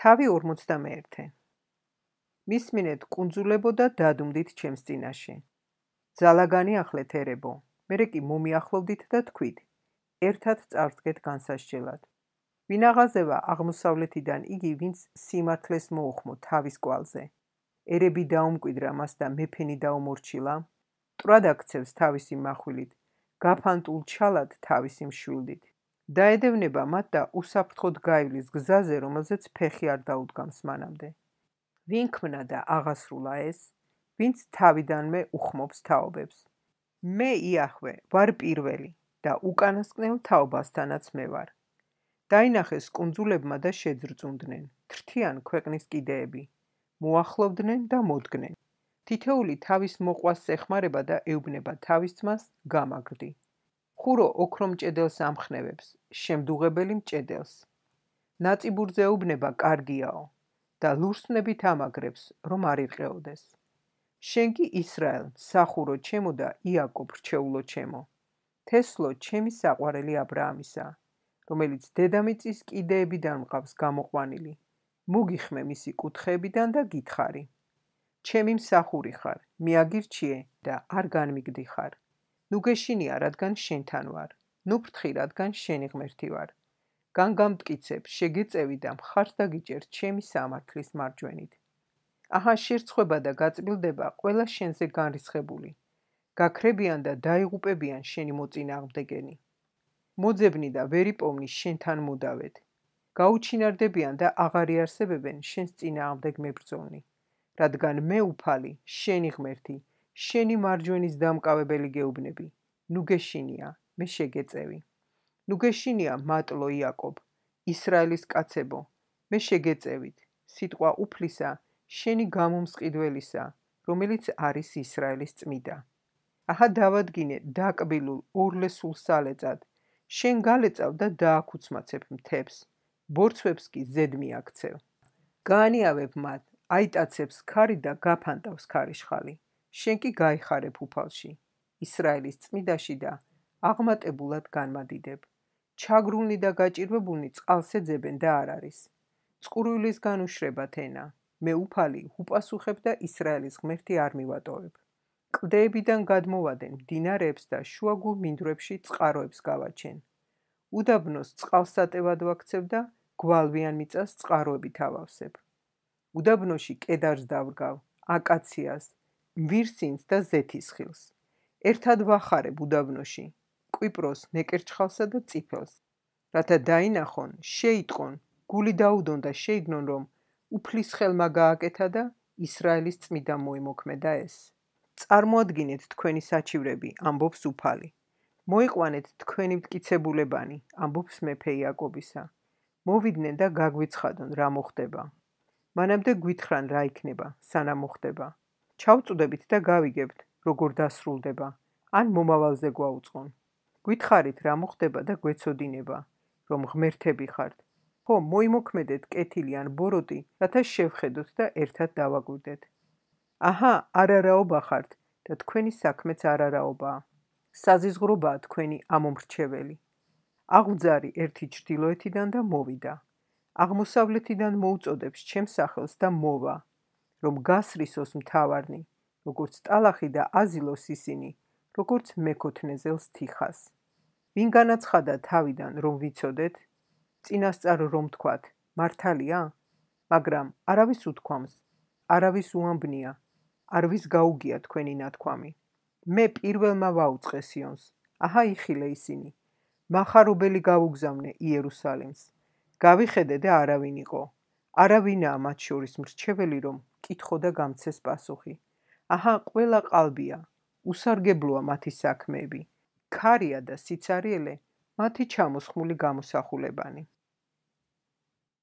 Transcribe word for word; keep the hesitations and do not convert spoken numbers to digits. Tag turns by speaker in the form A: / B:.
A: თავი ორმოცდამეერთე. მისმინეთ კუნძულებო და დადუმდით ჩემს წინაშე. ძალაგანი ახლეთ ერებო, მერე კი მომიახლოვდით და თქვით, ერთად წავდგეთ განსასჯელად. ვინ აღაზევა აღმოსავლეთიდან იგი, ვინც სიმართლეს მოუხმო თავის კვალზე. ერები დაუმკვიდრა მას და მეფენი დაუმორჩილა, მტრად აქცევს თავისი מחვილით, გაფანტულ ჩალად თავისი მშვილდით. დაედევნება მათ და უსაფრთხოდ გაივლის გზაზე, რომელზეც ფეხი არ დაუდგამს მანამდე. ვინ ქმნა და აღასრულა ეს, ვინც თავიდანვე უხმობს თაობებს. მე იახვე ვარ პირველი და უკანასკნელ თაობასთანაც მე ვარ. დაინახეს კუნძულებმა და შეძრწუნდნენ, თრთიან ქვეყნის კიდეები, მოახლოვდნენ და მოდგნენ. თითეული თავის მოყვას ეხმარება და ეუბნება თავის ძმას გამაგრდი. ხურო ოქრო მჭედელს ამხნევებს, შემდუღებელი მჭედელს. ნაწიბურზე ეუბნება კარგიაო და ლურსმნებით ამაგრებს, რომ არ ირყეოდეს. შენ კი ისრაელ, სახურო ჩემო და იაკობ რჩეულო ჩემო. თესლო ჩემი საყვარელი აბრაამისა, რომელიც დედამიწის კიდეებიდან მყავს გამოყვანილი. მოგიხმე მისი კუთხეებიდან და გითხარი. ჩემი მსახური ხარ, მიაგირჩიე და არ განმიგდიხარ. ნუ გეშინია, რადგან შენთან ვარ. ნუ ფრთხი, რადგან შენი ღმერთი ვარ. განგამტკიცებ, შეგეწევი და მხარს დაგიჭერ ჩემი სამართლის მარჯვენით. აჰა შერცხვება და გაწბილდება ყველა შენზე განრისხებული. გაქრებიან და დაიღუპებიან შენი მოწინააღმდეგენი. მოძებნი და ვერიპოვნი შენთან მოდავედ. გაუჩინარდებიან და აღარ იარსებებენ შენს წინააღმდეგ მებრძოლნი. რადგან მე უფალი, შენი ღმერთი, შენი მარჯვენის დამკავებელი გეუბნები. ნუ გეშინია, მე შეგეწევი. ნუ გეშინია, მატლო იაკობ, ისრაელის კაცებო, მე შეგეწევით. სიტყვა უფლისა, შენი გამომსყიდველისა, რომელიც არის ისრაელის წმიდა. აჰა დავადგინე დაკბილულ ორლესულ სალეწად. შენ გალეწავ და დააქუცმაცებ მთებს, ბორცვებს კი ზედ მიაქცევ. გაანიავებ მათ, აიტაცებს ქარი და გაფანტავს ქარიშხალი. შენ კი გაიხარებ უფალში, ისრაელის წმიდაში და აღმატებულად განმადიდებ. ჩაგრულნი და გაჭირვებულნი წყალს ეძებენ და არ არის. წყურვილისგან უშრებათ ენა. მე უფალი უპასუხებ და ისრაელის ღმერთი არ მივატოვებ. კლდეებიდან გადმოვადენ მდინარეებს და შუაგულ მინდვრებში წყაროებს გავაჩენ. უდაბნოს წყალსატევად ვაქცევ და გვალვიან მიწას წყაროებით ავავსებ. უდაბნოში კედარს დავრგავ, აკაციას, მვირსინს და ზეთისხილს. ერთად ვახარებ უდაბნოში, კვიპროს მეკერჩხალსა და წიფელს. რათა დაინახონ, შეიტყონ, გული დაუდონ და შეიგნონ, რომ უფლის ხელმა გააკეთა და ისრაელის წმიდა მოიმოქმედა ეს. წარმოადგინეთ თქვენი საჩივრები, ამბობს უფალი. მოიყვანეთ თქვენი მტკიცებულებანი, ამბობს მეფე იაკობისა. მოვიდნენ და გაგვიცხადონ, რა მოხდება. მანამდე გვითხრან რა იქნება, სანამ მოხდება. ჩავწუდებით და გავიგებთ, როგორ დასრულდება, ან მომავალზე გვაუწყონ. გითხარით რა მოხდება და გვეცოდინება, რომ ღმერთები ხართ. ხო, მოიმოქმედეთ კეთილი ან ბოროტი, რათა შევხედოთ და ერთად დავაგვირდეთ. აჰა, არარაობა ხართ და თქვენი საქმეც არარაობაა. საზიზღრობაა თქვენი ამომრჩეველი. აღვძარი ერთი ჩრდილოეთიდან და მოვიდა. აღმოსავლეთიდან მოუწოდებს ჩემს სახელს და მოვა, რომ გასრისოს მთავარნი, როგორც ტალახი და აზილოს ისინი, როგორც მეკოთნეზელს თიხას. ვინ განაცხადა თავიდან, რომ ვიცოდეთ, წინასწარ რომ თქვათ, მართალია? მაგრამ არავის უთქვამს, არავის უამბნია, არვის გაუგია თქვენი ნათქვამი. მე პირველმა ვაუწყე სიონს, აჰა იხილე ისინი, მახარობელი გავუგზავნე იერუსალიმს. გავიხედე და არავინ იყო, არავინაა მათ შორის მრჩეველი, რომ კითხო და გამცეს პასუხი. აჰა ყველა ყალბია, უსარგებლოა მათი საქმეები, ქარია და სიცარიელე მათი ჩამოსხმული გამოსახულებანი.